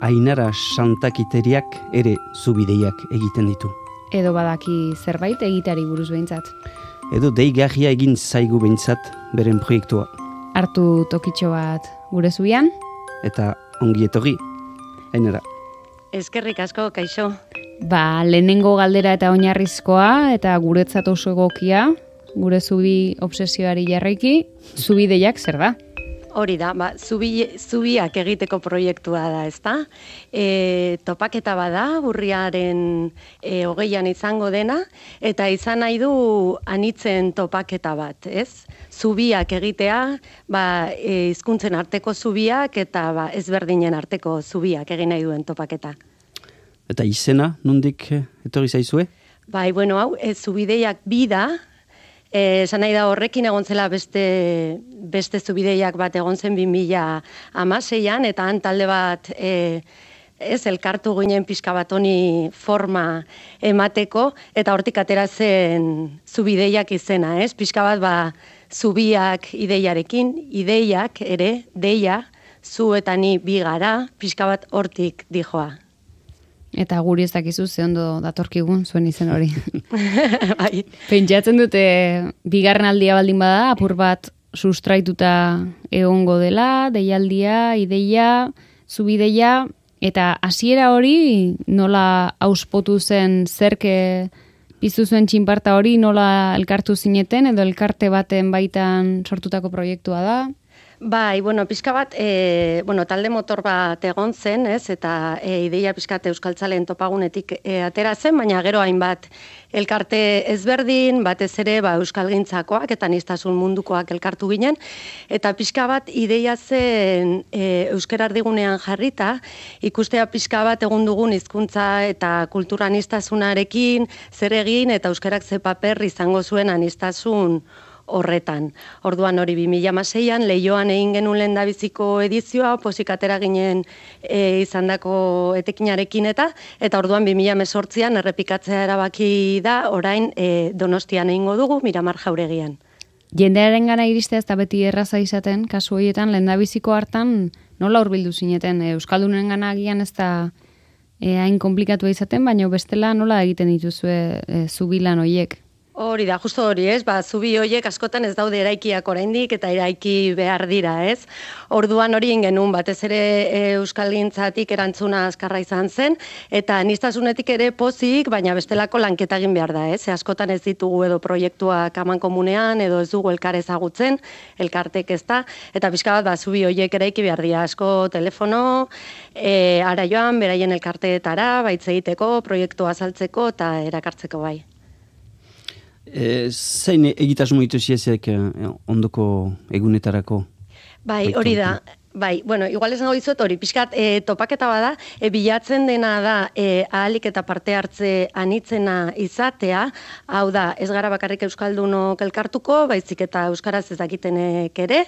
Ainara Santakiteriak ere zubideiak egiten ditu. Edo badaki zerbait egiteari buruz behintzat. Edo deigarria egin zaigu behintzat beren proiektua. Hartu tokitxo bat gure zubian. Eta ongi etorri, Ainara. Eskerrik asko, kaixo. Lehenengo galdera eta oinarrizkoa, eta guretzat oso egokia, gure zubi obsesioari jarraiki, zubideiak zer da? Hori da, zubiak egiteko proiektua da, ezta? Topaketa bada, urriaren 20an izango dena, eta izan nahi du anitzen topaketa bat, ez? Zubiak egitea, hizkuntzen arteko zubiak eta ezberdinen arteko zubiak egin nahi duen topaketa. Eta izena, nondik etorri zaizue? Hau, zubideiak bi da, esan nahi da horrekin egon zela beste zubideiak bat egon zen 2016an, eta han talde bat elkartu ginen pixka bat honi forma emateko, eta hortik atera zen zubideiak izena, pixka bat zubiak ideiarekin, ideiak ere, deia, zu eta ni bi gara, pixka bat hortik dijoa. Eta guri ez dakizu ze ondo datorkigun zuen izen hori. Pentsatzen dute bigarren aldia baldin bada, apur bat sustraituta egongo dela, deialdia, ideia, zubideia, eta hasiera hori nola auspotu zen zerke piztu zuen txinparta hori, nola elkartu zineten edo elkarte baten baitan sortutako proiektua da? Pixka bat, talde motor bat egon zen, eta ideia pixkat euskaltzaleen topagunetik atera zen, baina gero hainbat elkarte ezberdin, batez ere euskalgintzakoak eta aniztasun mundukoak elkartu ginen, eta pixka bat ideia zen euskara erdigunean jarrita, ikustea pixka bat egun dugun hizkuntza eta kultura aniztasunarekin zer egin eta euskarak ze paper izango zuen aniztasun horretan. Orduan hori 2016an Leioan egin genuen lehendabiziko edizioa, pozik atera ginen izandako etekinarekin eta orduan 2018an errepikatzea erabaki da, orain Donostian egingo dugu, Miramar Jauregian. Jendearen gana iristea ez da beti erraza izaten, kasu horietan lehendabiziko hartan nola hurbildu zineten? Euskaldunen gana agian ez da hain komplikatua izaten, baina bestela nola egiten dituzue zubilan horiek? Hori da, justo hori, zubi horiek askotan ez daude eraikiak oraindik eta eraiki behar dira, ez? Orduan hori genuen batez ere euskalgintzatik erantzuna azkarra izan zen, eta aniztasunetik ere pozik, baina bestelako lanketa egin behar da, ez? Askotan ez ditugu edo proiektuak amankomunean, edo ez dugu elkar ezagutzen, elkartek ez da, eta pixka bat zubi horiek eraiki behar dira, asko telefono, ara joan, beraien elkarteetara, baitz egiteko, proiektua azaltzeko eta erakartzeko bai. Zein egitasmo dituziezek ondoko egunetarako? Hori da. Igual esango dizut hori, pixkat topaketa bada, bilatzen dena da ahalik eta parte hartze anitzena izatea, hau da, ez gara bakarrik euskaldunok elkartuko, baizik eta euskaraz ez dakitenek ere,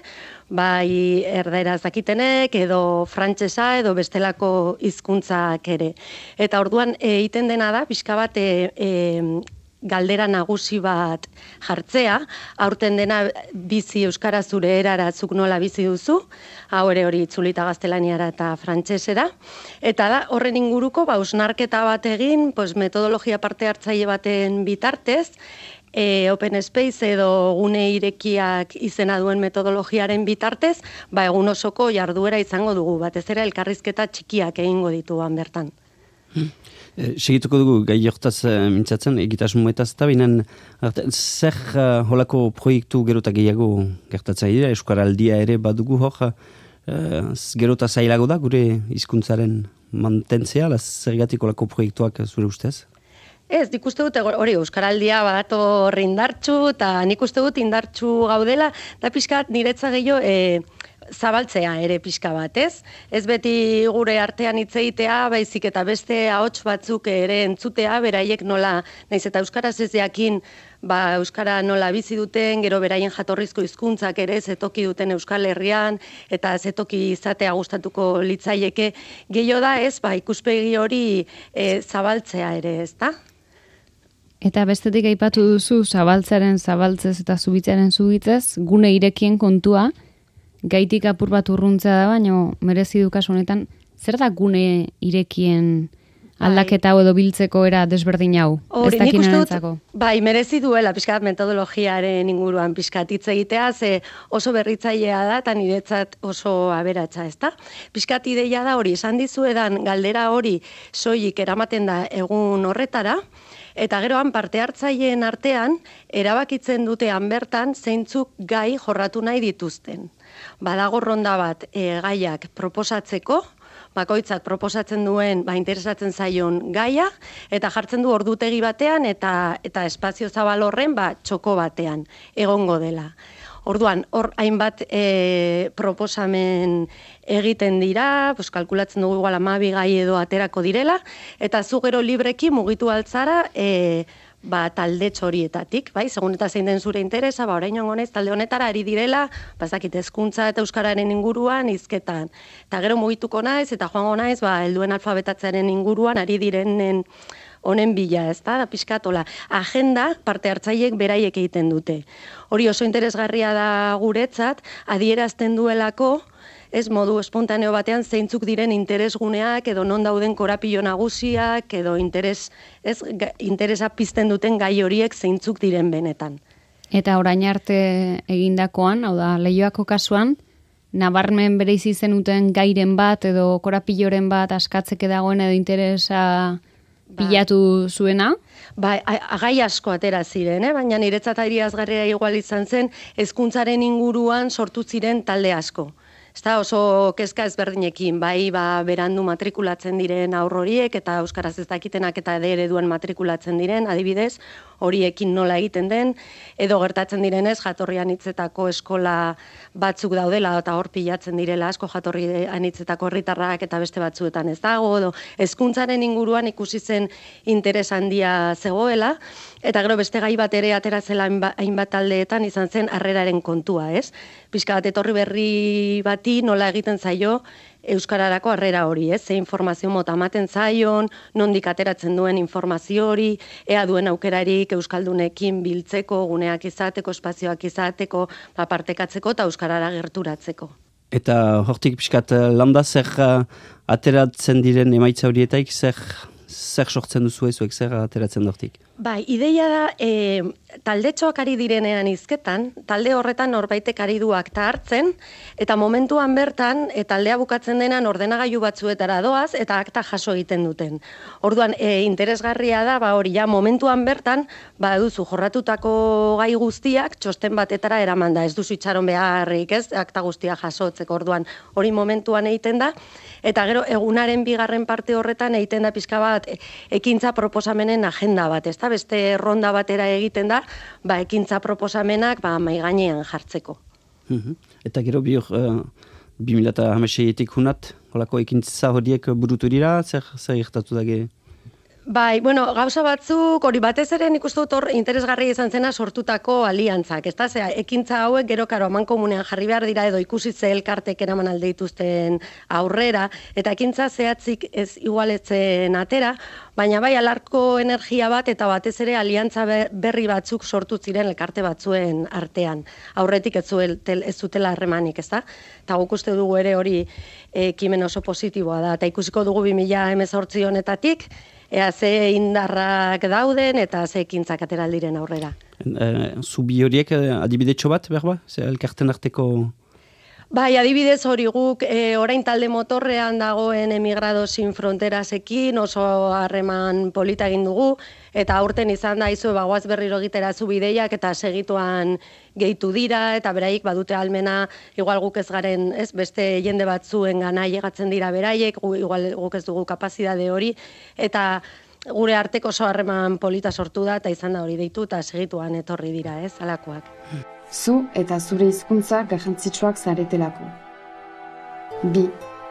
erdaeraz dakitenek, edo frantsesa, edo bestelako hizkuntzak ere. Eta orduan egiten dena da, pixka bat galdera nagusi bat jartzea, aurten dena bizi euskara zure erara zuk nola bizi duzu, hau ere hori itzulita gaztelaniara eta frantsesera, eta da horren inguruko hausnarketa bat egin, metodologia parte hartzaile baten bitartez, Open Space edo gune irekiak izena duen metodologiaren bitartez, egun osoko jarduera izango dugu, batez ere elkarrizketa txikiak egingo dituan bertan. Segituko dugu gai hortaz mintzatzen, egitasmoetaz eta binen zer holako proiektu gerota gehiago gertatzen dira, Euskaraldia ere badugu hor, gerota zailago da gure hizkuntzaren mantentzea, zergatik holako proiektuak zure ustez? Ez, nik uste dut hori Euskaraldia badator indartsu, eta nik uste dut indartsu gaudela, da pixkat niretza gehiago zabaltzea ere pixka bat, ez? Ez beti gure artean hitz egitea, baizik eta beste ahots batzuk ere entzutea, beraiek nola, naiz eta euskaraz ez jakin, euskara nola bizi duten, gero beraien jatorrizko hizkuntzak ere zetoki duten Euskal Herrian, eta zetoki izatea gustatuko litzaieke, gehiago da, ez? Ikuspegi hori zabaltzea ere, ez da? Eta bestetik aipatu duzu zabaltzaren zabaltzez eta zubitzaren zubitzez, gune irekien kontua, gaitik apur bat urruntzea da, baina merezi du kasu honetan zer da gune irekien aldaketa hau edo biltzeko era desberdin hau? Hori, nik uste dut, merezi duela pixkat metodologiaren inguruan pixkat hitz egitea, ze oso berritzailea da, eta niretzat oso aberatsa, ezta? Pixkat ideia da hori, esan dizuedan galdera hori soilik eramaten da egun horretara, eta geroan parte hartzaileen artean, erabakitzen dutean bertan zeintzuk gai jorratu nahi dituzten. Badago ronda bat gaiak proposatzeko, bakoitzak proposatzen duen, interesatzen zaion gaia, eta jartzen du ordutegi batean, eta espazio zabal horren, txoko batean, egongo dela. Orduan, hor hainbat proposamen egiten dira, kalkulatzen dugu igual 12 gai edo aterako direla, eta zu gero libreki mugitu altzara, talde txorietatik, segun eta zein den zure interesa, orain joango naiz talde honetara ari direla, bazakit hezkuntza eta euskararen inguruan hizketan. Eta gero mugituko naiz eta joango naiz, helduen alfabetatzearen inguruan ari direnen honen bila, ezta? Da pixkatola. Agenda parte hartzaileek beraiek egiten dute. Hori oso interesgarria da guretzat, adierazten duelako, ez modu espontaneo batean zeintzuk diren interesguneak edo non dauden korapilo nagusiak edo interesa pizten duten gai horiek zeintzuk diren benetan. Eta orain arte egindakoan, hau da, Leioako kasuan, nabarmen bereizi zenuten gairen bat edo korapilloren bat askatzeke dagoen edo interesa bilatu zuena? Gai asko atera ziren, baina niretzat adierazgarria igual izan zen, hezkuntzaren inguruan sortu ziren talde asko. Ezta oso kezka ezberdinekin, berandu matrikulatzen diren aurro horiek eta euskaraz ez dakitenak eta ereduen matrikulatzen diren, adibidez, horiekin nola egiten den, edo gertatzen direnez jatorri anitzetako eskola batzuk daudela eta hor pilatzen direla asko jatorri anitzetako herritarrak eta beste batzuetan ez dago, edo hezkuntzaren inguruan ikusi zen interes handia zegoela, eta gero beste gai bat ere ateratzela hainbat taldeetan izan zen harreraren kontua, ez? Pixka bat etorri berri bati nola egiten zaio euskararako harrera hori, ez? Ze informazio mota ematen zaion, nondik ateratzen duen informazio hori, ea duen aukerarik euskaldunekin biltzeko, guneak izateko, espazioak izateko, partekatzeko eta euskarara gerturatzeko. Eta hortik pixkat landa zer ateratzen diren emaitza horietaik zer sortzen duzu ezuek, zer ateratzen hortik? Ideia da, taldetxoak ari direnean hizketan, talde horretan norbaitek ari du akta hartzen, eta momentuan bertan, taldea bukatzen denan ordenagailu batzuetara doaz, eta akta jaso egiten duten. Orduan, interesgarria da, hori ja, momentuan bertan, duzu jorratutako gai guztiak, txosten batetara eraman da, ez duzu itxaron beharrik, ez, akta guztia jasotzeko, orduan, hori momentuan egiten da, eta gero, egunaren bigarren parte horretan egiten da pixka bat, ekintza proposamenen agenda bat, ez da, beste ronda batera egiten da, ekintza proposamenak mai gainean jartzeko. Eta gero 2016etik hunat, holako ekintza horiek burutu dira, zer gertatu dage? Gauza batzuk, hori batez ere nik uste dut hor interesgarria izan zena sortutako aliantzak, ez da, ekintza hauek gero karo amankomunean jarri behar dira edo ikusi ze elkartek eraman alde dituzten aurrera, eta ekintza zehatzik ez igualetzen atera, baina alarko energia bat eta batez ere aliantza berri batzuk sortu ziren elkarte batzuen artean. Aurretik ez zutela harremanik, ez da? Eta guk uste dugu ere hori ekimen oso positiboa da, eta ikusiko dugu 2018 honetatik, ea ze indarrak dauden eta ze ekintzak ateraldiren aurrera. Zubi horiek adibidetxo bat, berba? Elkarten arteko... Adibidez hori guk orain talde motorrean dagoen Emigrado Sin Fronterasekin oso harreman polita egin dugu, eta aurten izan da izu goaz berriro egitera zubideiak eta segituan gehitu dira, eta beraiek badute almena, igual guk ez garen, ez beste jende batzuen gana llegatzen dira beraiek, igual guk ez dugu kapazidade hori, eta gure arteko oso harreman polita sortu da, eta izan da hori deitu, eta segituan etorri dira, ez, alakoak. Zu eta zure hizkuntza garrantzitsuak zaretelako.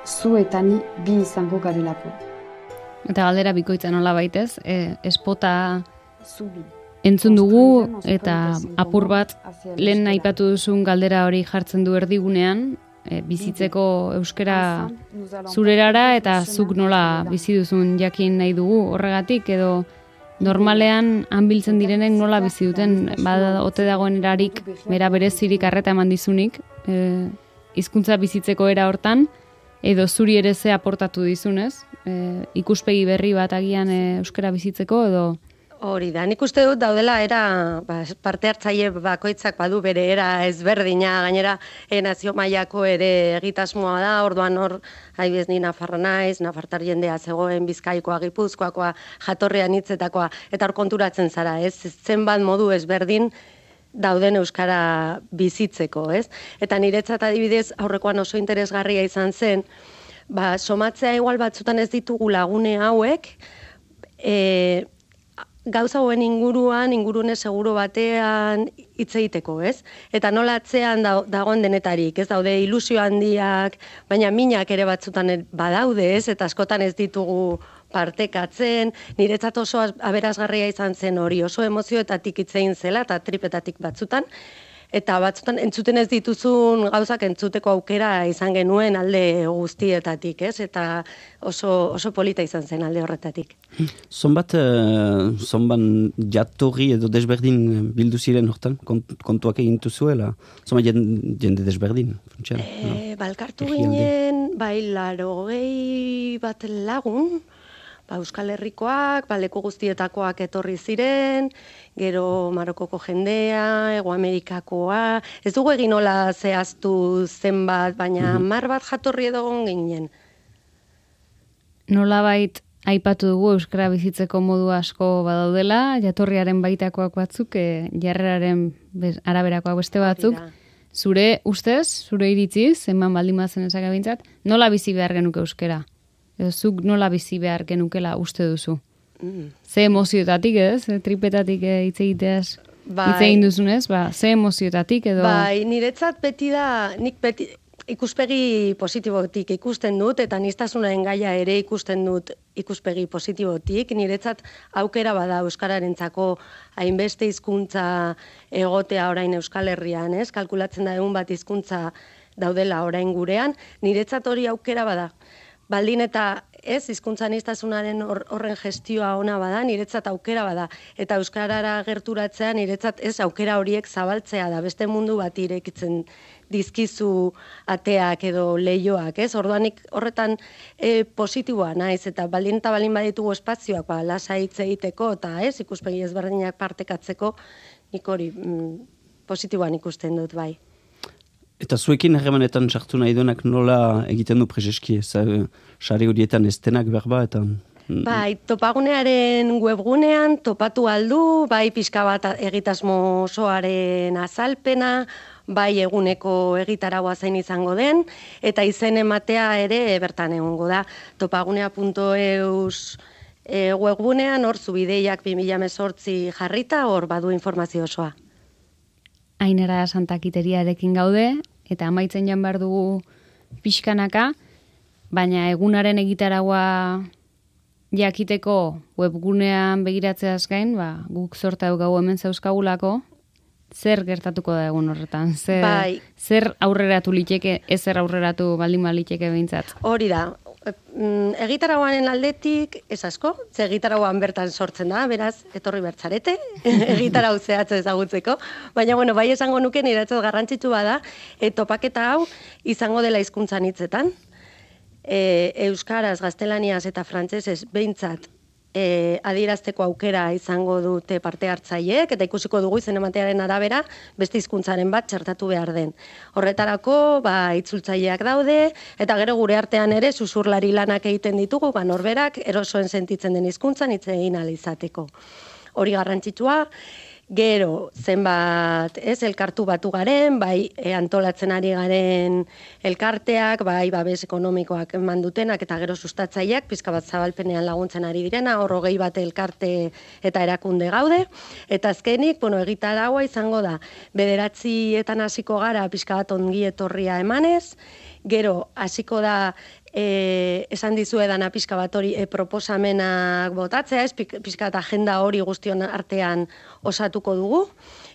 Zu eta ni bi izango garelako. Eta galdera bikoitza nola baitez, espota entzun dugu eta apur bat lehen aipatu duzun galdera hori jartzen du erdigunean, bizitzeko euskara zurerara eta zuk nola bizi duzun jakin nahi dugu horregatik edo normalean hanbiltzen direnek nola bizi duten, ote dagoen erarik, bera berezirik arreta eman dizunik, hizkuntza bizitzeko era hortan, edo zuri ere ze aportatu dizunez, ikuspegi berri bat agian euskara bizitzeko edo... Hori da, nik uste dut daudela parte hartzaile bakoitzak badu bere era ezberdina, gainera nazio mailako ere egitasmoa da, orduan hor, haibez ni nafarra naiz, nafartar jendea zegoen, Bizkaikoa, Gipuzkoakoa, jatorrean hitzetakoa, eta hor konturatzen zara, ez? Zenbat modu ezberdin dauden euskara bizitzeko, ez? Eta niretzat adibidez, aurrekoan oso interesgarria izan zen, somatzea igual batzutan ez ditugu lagune hauek, gauza hauen ingurune seguro batean hitz egiteko, ez? Eta nola atzean dagoen denetarik, ez daude ilusio handiak, baina minak ere batzutan badaude, ez? Eta askotan ez ditugu partekatzen, niretzat oso aberasgarria izan zen hori, oso emozioetatik hitz egin zela, eta tripetatik batzutan, eta batzutan entzuten ez dituzun gauzak entzuteko aukera izan genuen alde guztietatik, ez? Eta oso polita izan zen alde horretatik. Zonban jatorri edo desberdin bildu ziren hortan, kontuak egin zuela? Zonbat jende desberdin? Balkartu ginen, 80 bat lagun, Euskal Herrikoak, leku guztietakoak etorri ziren, gero Marokoko jendea, Hego Amerikakoa, ez dugu egin nola zehaztu zenbat, baina 10 bat jatorri edo ginen. Nolabait aipatu dugu euskara bizitzeko modu asko badaudela, jatorriaren baitakoak batzuk, jarreraren araberakoak beste batzuk. Zure ustez, zure iritziz, eman baldin bazen ezagabintzat, nola bizi behar genuke euskara? Edo zuk nola bizi behar genukela uste duzu? Ze emozioetatik, ez? Tripetatik hitz egiteaz hitz egin duzunez, ze emozioetatik edo... Niretzat beti da, nik beti ikuspegi positibotik ikusten dut, eta aniztasunaren gaia ere ikusten dut ikuspegi positibotik. Niretzat aukera bada euskararentzako hainbeste hizkuntza egotea orain Euskal Herrian, ez? Kalkulatzen da egun bat hizkuntza daudela orain gurean, niretzat hori aukera bada. Baldin eta ez, hizkuntza aniztasunaren horren gestioa ona bada, niretzat aukera bada. Eta euskarara gerturatzea niretzat ez aukera horiek zabaltzea da, beste mundu bat irekitzen dizkizu ateak edo leioak, ez? Orduanik horretan positiboa naiz, eta baldin baditugu espazioak, lasa hitz egiteko, eta ez, ikuspegi ezberdinak partekatzeko, nik hori positiboan ikusten dut, bai. Eta zuekin harremanetan sartu nahi duenak nola egiten du prezeski, sare horietan estenak berba eta... Bai, topagunearen webgunean topatu aldu, bai pixka bat egitasmo osoaren azalpena, bai eguneko egitaragua zein izango den, eta izen ematea ere bertan egongo da. Topagunea.eus webgunean, hor zubideiak 2018 jarrita, hor badu informazio osoa. Ainara Santakitariarekin gaude, eta amaitzen jan behar dugu pixkanaka, baina egunaren egitaragua jakiteko webgunean begiratzeaz gain, guk zorta gau hemen zauzkagulako, zer gertatuko da egun horretan? Zer aurreratu liteke, ezer aurreratu baldin liteke behintzat? Hori da, egitaragoaren aldetik, ez asko, ze egitaragoan bertan sortzen da, beraz, etorri bertzarete, egitarau zehatze ezagutzeko, baina, bai esango nuke niretzat garrantzitsu bada, topaketa hau izango dela hizkuntzan hitzetan, euskaraz, gaztelaniaz eta frantsesez behintzat adierazteko aukera izango dute parte hartzaileek, eta ikusiko dugu izen ematearen arabera beste hizkuntzaren bat txertatu behar den. Horretarako, itzultzaileak daude, eta gero gure artean ere susurlari lanak egiten ditugu, norberak erosoen sentitzen den hizkuntzan hitz egin ahal izateko. Hori garrantzitsua, gero zenbat elkartu batu garen, bai antolatzen ari garen elkarteak, bai babes ekonomikoak eman dutenak eta gero sustatzaileak, pizka bat zabalpenean laguntzen ari direna, hor 20 bat elkarte eta erakunde gaude, eta azkenik, egitaragua izango da, 9:00 hasiko gara pizka bat ongi etorria emanez, gero hasiko da esan dizuedana pixka bat hori proposamenak botatzea, pixka eta agenda hori guztion artean osatuko dugu.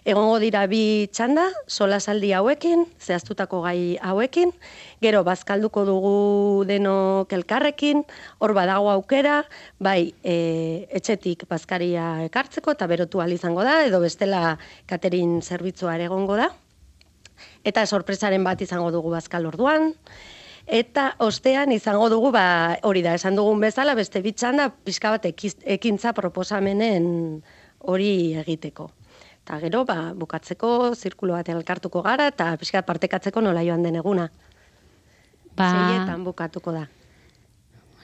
Egongo dira 2 txanda, solasaldi hauekin, zehaztutako gai hauekin, gero bazkalduko dugu denok elkarrekin, hor badago aukera, bai etxetik bazkaria ekartzeko eta berotu ahal izango da, edo bestela catering zerbitzua ere egongo da. Eta sorpresaren bat izango dugu bazkal orduan. Eta ostean izango dugu, hori da, esan dugun bezala, beste bitxanda, pixka bat ekintza proposamenen hori egiteko. Eta gero, bukatzeko, zirkulo bat elkartuko gara, eta pixka partekatzeko nola joan den eguna. 6etan bukatuko da.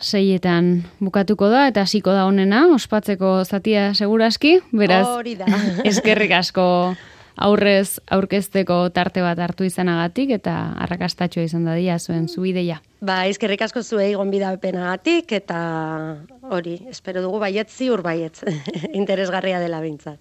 6etan bukatuko da, eta hasiko da honena, ospatzeko zatia seguraski, beraz, hori da. Eskerrik asko aurrez aurkezteko tarte bat hartu izanagatik, eta arrakastatxoa izan dadia zuen zubideia. Eskerrik asko zuei gonbidapenagatik, eta hori, espero dugu baietz ziur baietz, interesgarria dela behintzat.